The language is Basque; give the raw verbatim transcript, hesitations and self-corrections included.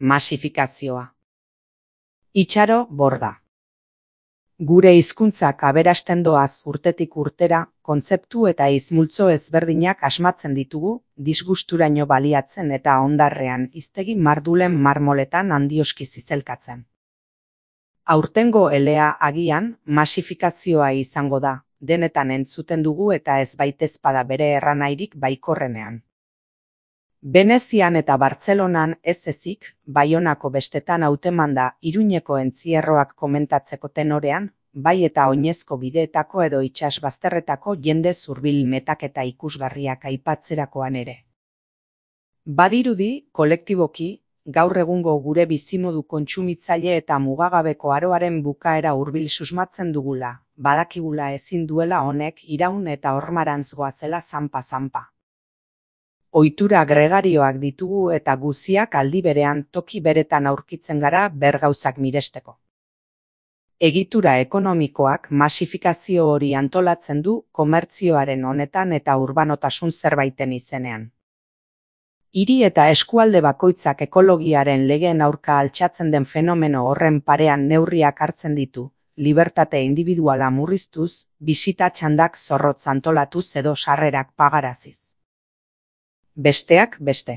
Masifikazioa. Itxaro borda. Gure hizkuntzak aberasten doaz urtetik urtera, kontzeptu eta hizmultzo ezberdinak asmatzen ditugu, disgusturaino baliatzen eta hondarrean hiztegi mardulen marmoletan handioski zizelkatzen. Aurtengo elea agian masifikazioa izango da, denetan entzuten dugu eta ez baitezpada bere erranairik baikorrenean. Venezian eta Bartzelonan ez ezik, Baionako bestetan hautemanda Iruñeko entzierroak komentatzeko tenorean, bai eta oinezko bideetako edo itsas bazterretako jende zurbil metaketa ikusgarriak aipatzerakoan ere. Badirudi, kolektiboki, gaur egungo gure bizimodu kontsumitzaile eta mugagabeko aroaren bukaera hurbil susmatzen dugula, badakigula ezin duela honek iraun eta hormarantz goazela zanpa-zanpa. Ohitura gregarioak ditugu eta guziak aldi berean toki beretan aurkitzen gara bergauzak miresteko. Egitura ekonomikoak masifikazio hori antolatzen du komertzioaren honetan eta urbanotasun zerbaiten izenean. Hiri eta eskualde bakoitzak ekologiaren legeen aurka altxatzen den fenomeno horren parean neurriak hartzen ditu, libertate indibiduala murriztuz, bisita txandak zorrotz antolatuz edo sarrerak pagaraziz. Besteak beste.